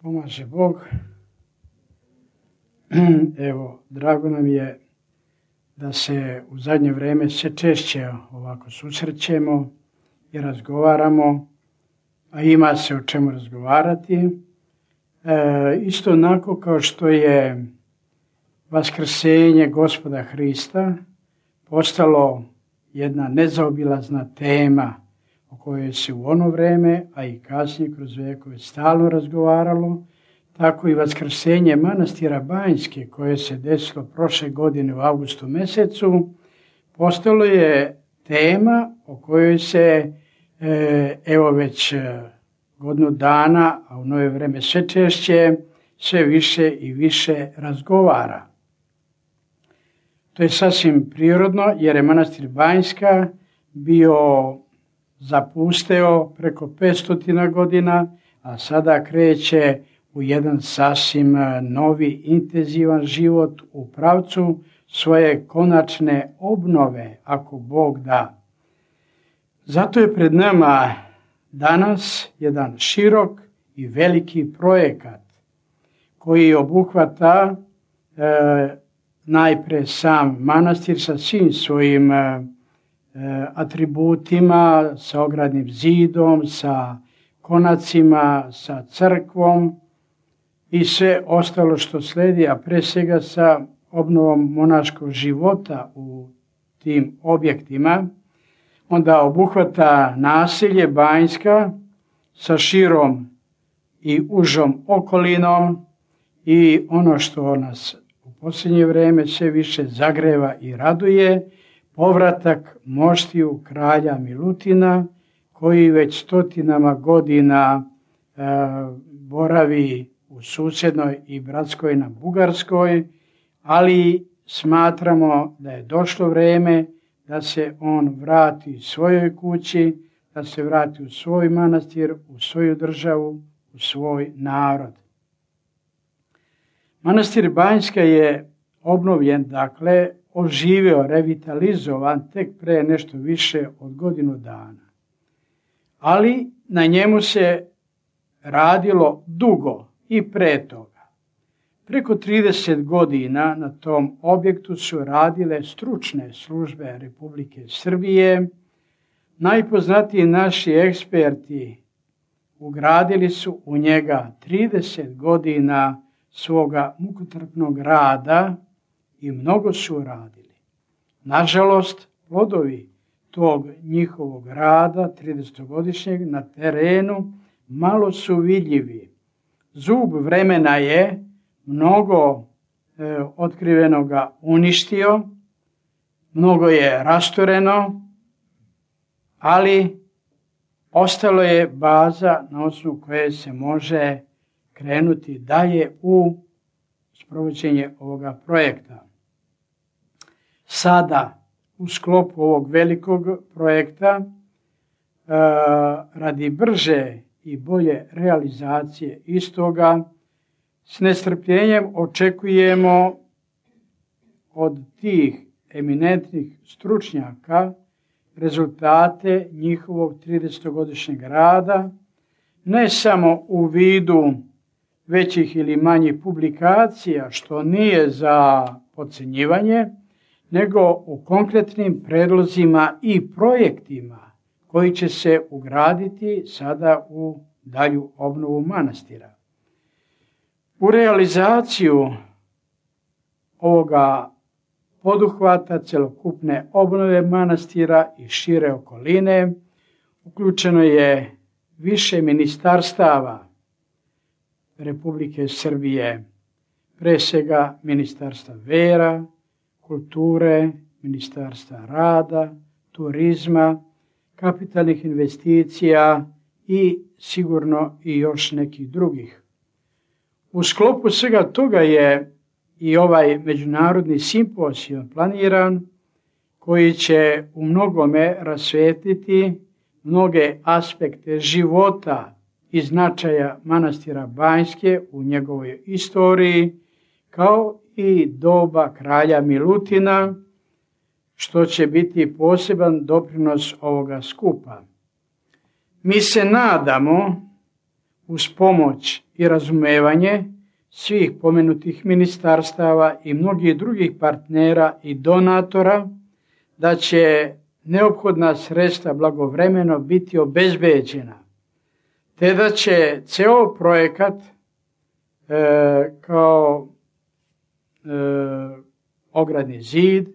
Pomaže Bog. Evo, drago nam je da se u zadnje vrijeme sve češće ovako susrećemo i razgovaramo, a ima se o čemu razgovarati. Isto onako kao što je vaskrsenje Gospoda Hrista postalo jedna nezaobilazna tema o kojoj se u ono vrijeme, a i kasnije kroz vekove stalno razgovaralo, tako i vaskrsenje manastira Banjske koje se desilo prošle godine u avgustu mjesecu, postalo je tema o kojoj se evo već godinu dana, a u novo vrijeme sve češće, sve više i više razgovara. To je sasvim prirodno jer je manastir Banjska bio zapusteo preko 500 godina, a sada kreće u jedan sasvim novi, intenzivan život u pravcu svoje konačne obnove, ako Bog da. Zato je pred nama danas jedan širok i veliki projekat koji obuhvata najprije sam manastir sa svim svojim atributima, sa ogradnim zidom, sa konacima, sa crkvom i sve ostalo što slijedi, a pre svega sa obnovom monaškog života u tim objektima. Onda obuhvata naselje Banjska sa širom i užom okolinom i ono što nas u posljednje vrijeme sve više zagreva i raduje, povratak moštiju kralja Milutina koji već stotinama godina boravi u susjednoj i bratskoj na Bugarskoj, ali smatramo da je došlo vrijeme da se on vrati svojoj kući, da se vrati u svoj manastir, u svoju državu, u svoj narod. Manastir Banjska je obnovljen, dakle, oživio, revitalizovan tek pre nešto više od godinu dana. Ali na njemu se radilo dugo i pre toga. Preko 30 godina na tom objektu su radile stručne službe Republike Srbije. Najpoznatiji naši eksperti ugradili su u njega 30 godina svoga mukotrpnog rada i mnogo su radili. Nažalost, plodovi tog njihovog rada 30-godišnjeg na terenu malo su vidljivi. Zub vremena je mnogo otkrivenoga uništio, mnogo je rastureno, ali ostalo je baza na osnovu koje se može krenuti dalje u sprovođenje ovoga projekta. Sada, u sklopu ovog velikog projekta, radi brže i bolje realizacije istoga, s nestrpljenjem očekujemo od tih eminentnih stručnjaka rezultate njihovog 30-godišnjeg rada, ne samo u vidu većih ili manjih publikacija, što nije za podcjenjivanje, nego u konkretnim predlozima i projektima koji će se ugraditi sada u dalju obnovu manastira. U realizaciju ovoga poduhvata celokupne obnove manastira i šire okoline uključeno je više ministarstava Republike Srbije, pre svega Ministarstva vera, kulture, Ministarstva rada, turizma, kapitalnih investicija i sigurno i još nekih drugih. U sklopu svega toga je i ovaj međunarodni simpozijum planiran koji će u mnogome rasvijetliti mnoge aspekte života i značaja manastira Banjske u njegovoj istoriji, kao i doba kralja Milutina, što će biti poseban doprinos ovoga skupa. Mi se nadamo uz pomoć i razumevanje svih pomenutih ministarstava i mnogih drugih partnera i donatora, da će neophodna sredstva blagovremeno biti obezbeđena, te da će ceo projekat kao ogradni zid,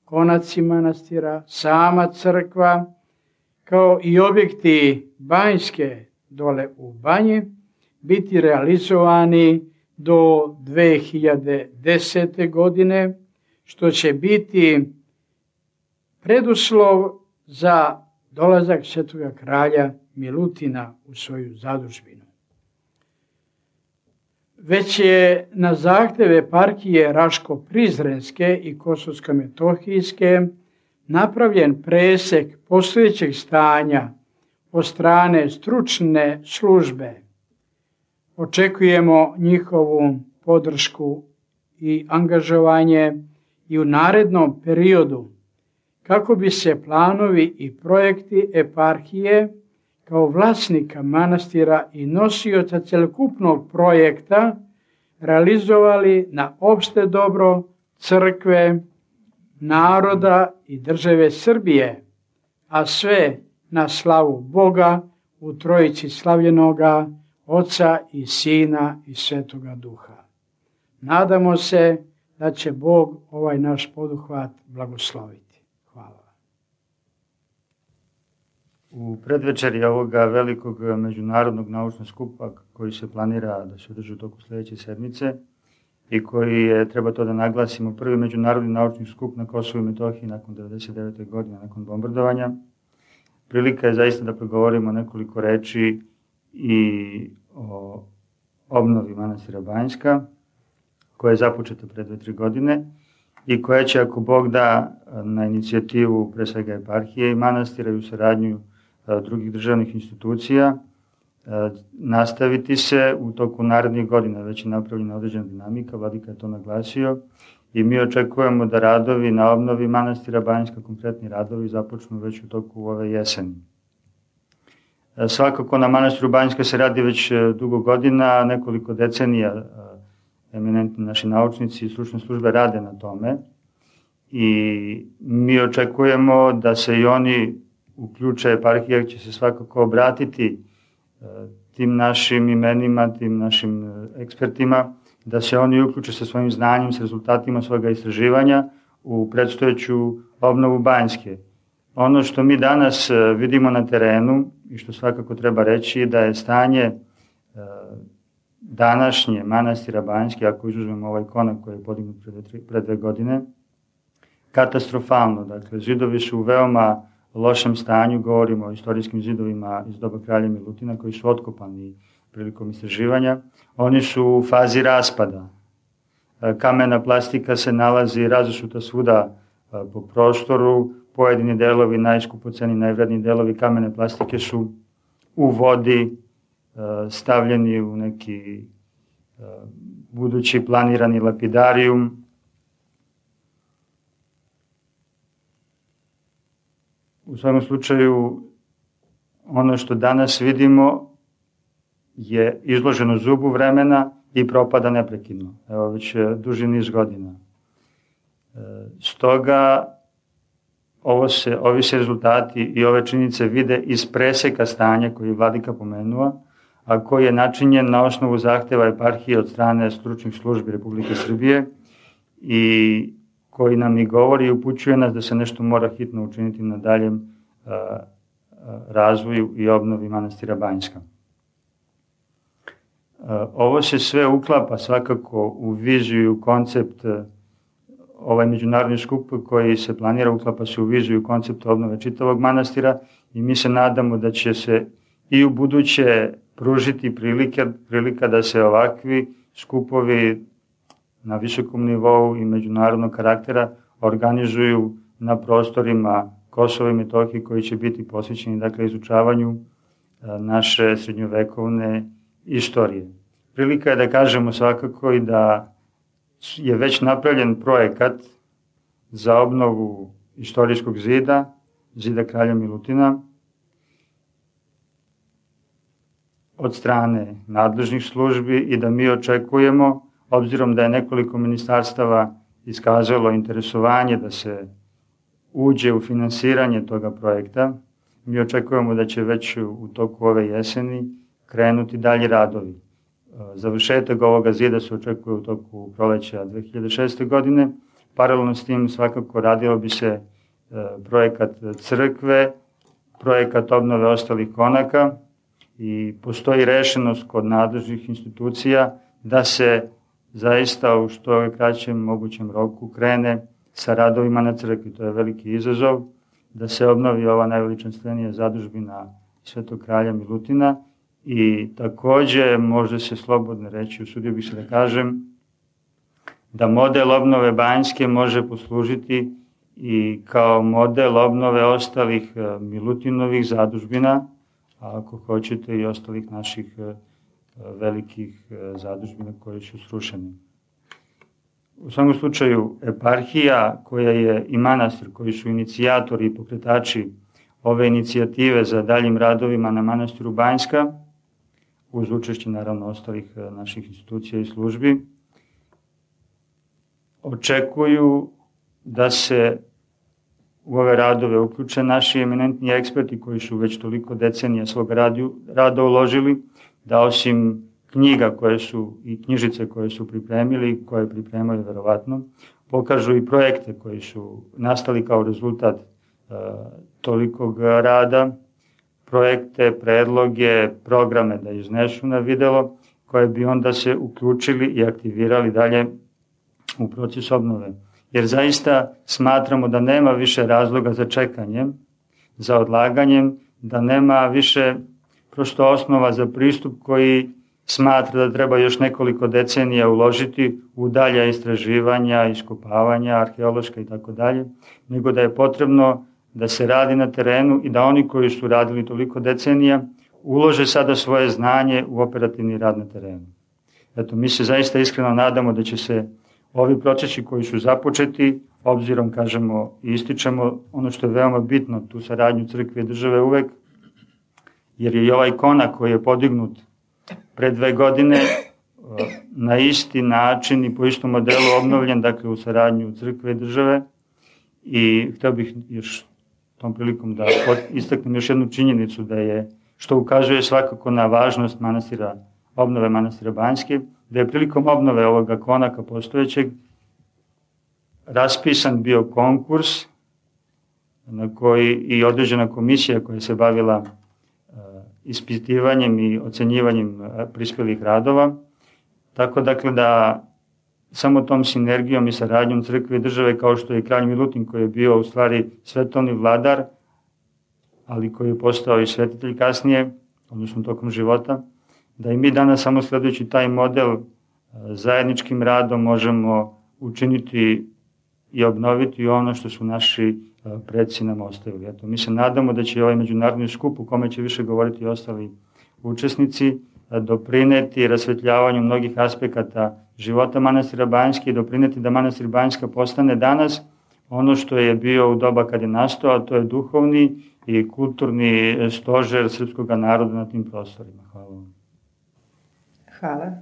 konaci manastira, sama crkva, kao i objekti banjske dole u banji, biti realizovani do 2010. godine, što će biti preduslov za dolazak svetoga kralja Milutina u svoju zadužbinu. Već je na zahteve eparhije Raško-Prizrenske i Kosovsko-Metohijske napravljen presek postojećeg stanja od strane stručne službe. Očekujemo njihovu podršku i angažovanje i u narednom periodu, kako bi se planovi i projekti eparhije kao vlasnika manastira i nosioca celokupnog projekta realizovali na opšte dobro crkve, naroda i države Srbije, a sve na slavu Boga u Trojici slavljenoga Oca i Sina i Svetoga Duha. Nadamo se da će Bog ovaj naš poduhvat blagosloviti. Hvala. U predvečeri ovoga velikog međunarodnog naučnog skupa koji se planira da se održi u toku sledeće sedmice i koji je, treba to da naglasimo, prvi međunarodni naučni skup na Kosovu i Metohiji nakon 1999. godine, nakon bombardovanja, prilika je zaista da progovorimo nekoliko reči i o obnovi manastira Banjska, koja je započeta pre 2-3 godine i koja će, ako Bog da, na inicijativu pre svega eparhije i manastira i u saradnju drugih državnih institucija, nastaviti se u toku narednih godina. Već je napravljena određena dinamika, vladika je to naglasio i mi očekujemo da radovi na obnovi manastira Banjska, konkretni radovi, započnu već u toku ove jeseni. Svakako na manastiru Banjska se radi već dugo godina, nekoliko decenija eminentni naši naučnici i stručne službe rade na tome i mi očekujemo da se i oni uključe, eparhija će se svakako obratiti tim našim imenima, tim našim ekspertima, da se oni uključe sa svojim znanjem, s rezultatima svoga istraživanja u predstojeću obnovu Banjske. Ono što mi danas vidimo na terenu i što svakako treba reći da je stanje današnje manastira Banjske, ako izuzmemo ovaj konak koji je podignut pre 2 godine, katastrofalno. Dakle, zidovi su u veoma lošem stanju, govorimo o istorijskim zidovima iz doba kralja Milutina koji su otkopani prilikom istraživanja. Oni su u fazi raspada. Kamena plastika se nalazi razasuta svuda po prostoru, pojedini delovi, najskupoceni, najvredniji delovi kamene plastike su u vodi, stavljeni u neki budući planirani lapidarijum. U svakom slučaju, ono što danas vidimo je izloženo zubu vremena i propada neprekidno. Evo već duži niz godina. Stoga ovi se rezultati i ove činjenice vide iz preseka stanja koji je vladika pomenuo, a koji je načinjen na osnovu zahteva eparhije od strane stručnih službi Republike Srbije i koji nam i govori i upućuje nas da se nešto mora hitno učiniti na daljem razvoju i obnovi manastira Banjska. Ovo se sve uklapa svakako u viziju i u koncept, ovaj međunarodni skup koji se planira uklapa se u viziju i koncept obnove čitavog manastira i mi se nadamo da će se i u buduće pružiti prilika da se ovakvi skupovi na visokom nivou i međunarodnog karaktera organizuju na prostorima Kosova i Metohije koji će biti posvećeni, dakle, izučavanju naše srednjovekovne istorije. Prilika je da kažemo svakako i da je već napravljen projekat za obnovu istorijskog zida, zida kralja Milutina, od strane nadležnih službi i da mi očekujemo, obzirom da je nekoliko ministarstava iskazalo interesovanje da se uđe u finansiranje toga projekta, mi očekujemo da će već u toku ove jeseni krenuti dalji radovi. Završetak ovoga zida se očekuje u toku proleća 2006. godine. Paralelno s tim svakako radilo bi se projekat crkve, projekat obnove ostalih konaka i postoji rešenost kod nadležnih institucija da se zaista u što je kraćem mogućem roku krene sa radovima na crkvi. To je veliki izazov, da se obnovi ova najveličanstvenija zadužbina Svetog kralja Milutina i takođe može se slobodno reći, usudio bih se da kažem, da model obnove Banjske može poslužiti i kao model obnove ostalih Milutinovih zadužbina, a ako hoćete i ostalih naših velikih zadužbina koje su srušene. U svakom slučaju, eparhija koja je i manastir koji su inicijatori i pokretači ove inicijative za daljim radovima na manastiru Banjska, uz učešće naravno ostalih naših institucija i službi, očekuju da se u ove radove uključe naši eminentni eksperti koji su već toliko decenija svog rada uložili, da osim knjiga koje su i knjižice koje su pripremili, koje pripremaju verovatno, pokažu i projekte koji su nastali kao rezultat tolikog rada, projekte, predloge, programe da iznesu na videlo, koje bi onda se uključili i aktivirali dalje u proces obnove. Jer zaista smatramo da nema više razloga za čekanjem, za odlaganjem, da nema više prosto osnova za pristup koji smatra da treba još nekoliko decenija uložiti u dalja istraživanja, iskopavanja, arheološka i tako dalje, nego da je potrebno da se radi na terenu i da oni koji su radili toliko decenija ulože sada svoje znanje u operativni rad na terenu. Eto, mi se zaista iskreno nadamo da će se ovi procesi koji su započeti, obzirom, kažemo i ističemo ono što je veoma bitno, tu saradnju crkve i države uvek, jer je i ovaj konak koji je podignut pre 2 godine na isti način i po istom modelu obnovljen, dakle u saradnju crkve i države. I hteo bih još tom prilikom da istaknem još jednu činjenicu da je, što ukazuje svakako na važnost manastira, obnove manastira Banjske, da je prilikom obnove ovoga konaka postojećeg raspisan bio konkurs na koji i određena komisija koja se bavila ispitivanjem i ocenjivanjem prispelih radova. Tako dakle da samo tom sinergijom i saradnjom crkve i države, kao što je i kralj Milutin koji je bio u stvari svetovni vladar, ali koji je postao i svetitelj kasnije, odnosno tokom života, da i mi danas samo sledujući taj model zajedničkim radom možemo učiniti i obnoviti ono što su naši preci nam ostavili. Eto, mi se nadamo da će ovaj međunarodni skup u kome će više govoriti ostali učesnici doprineti rasvetljavanju mnogih aspekata života manastira Banjske i doprineti da manastir Banjska postane danas ono što je bio u doba kad je nastao, a to je duhovni i kulturni stožer srpskog naroda na tim prostorima. Hvala vam. Hvala.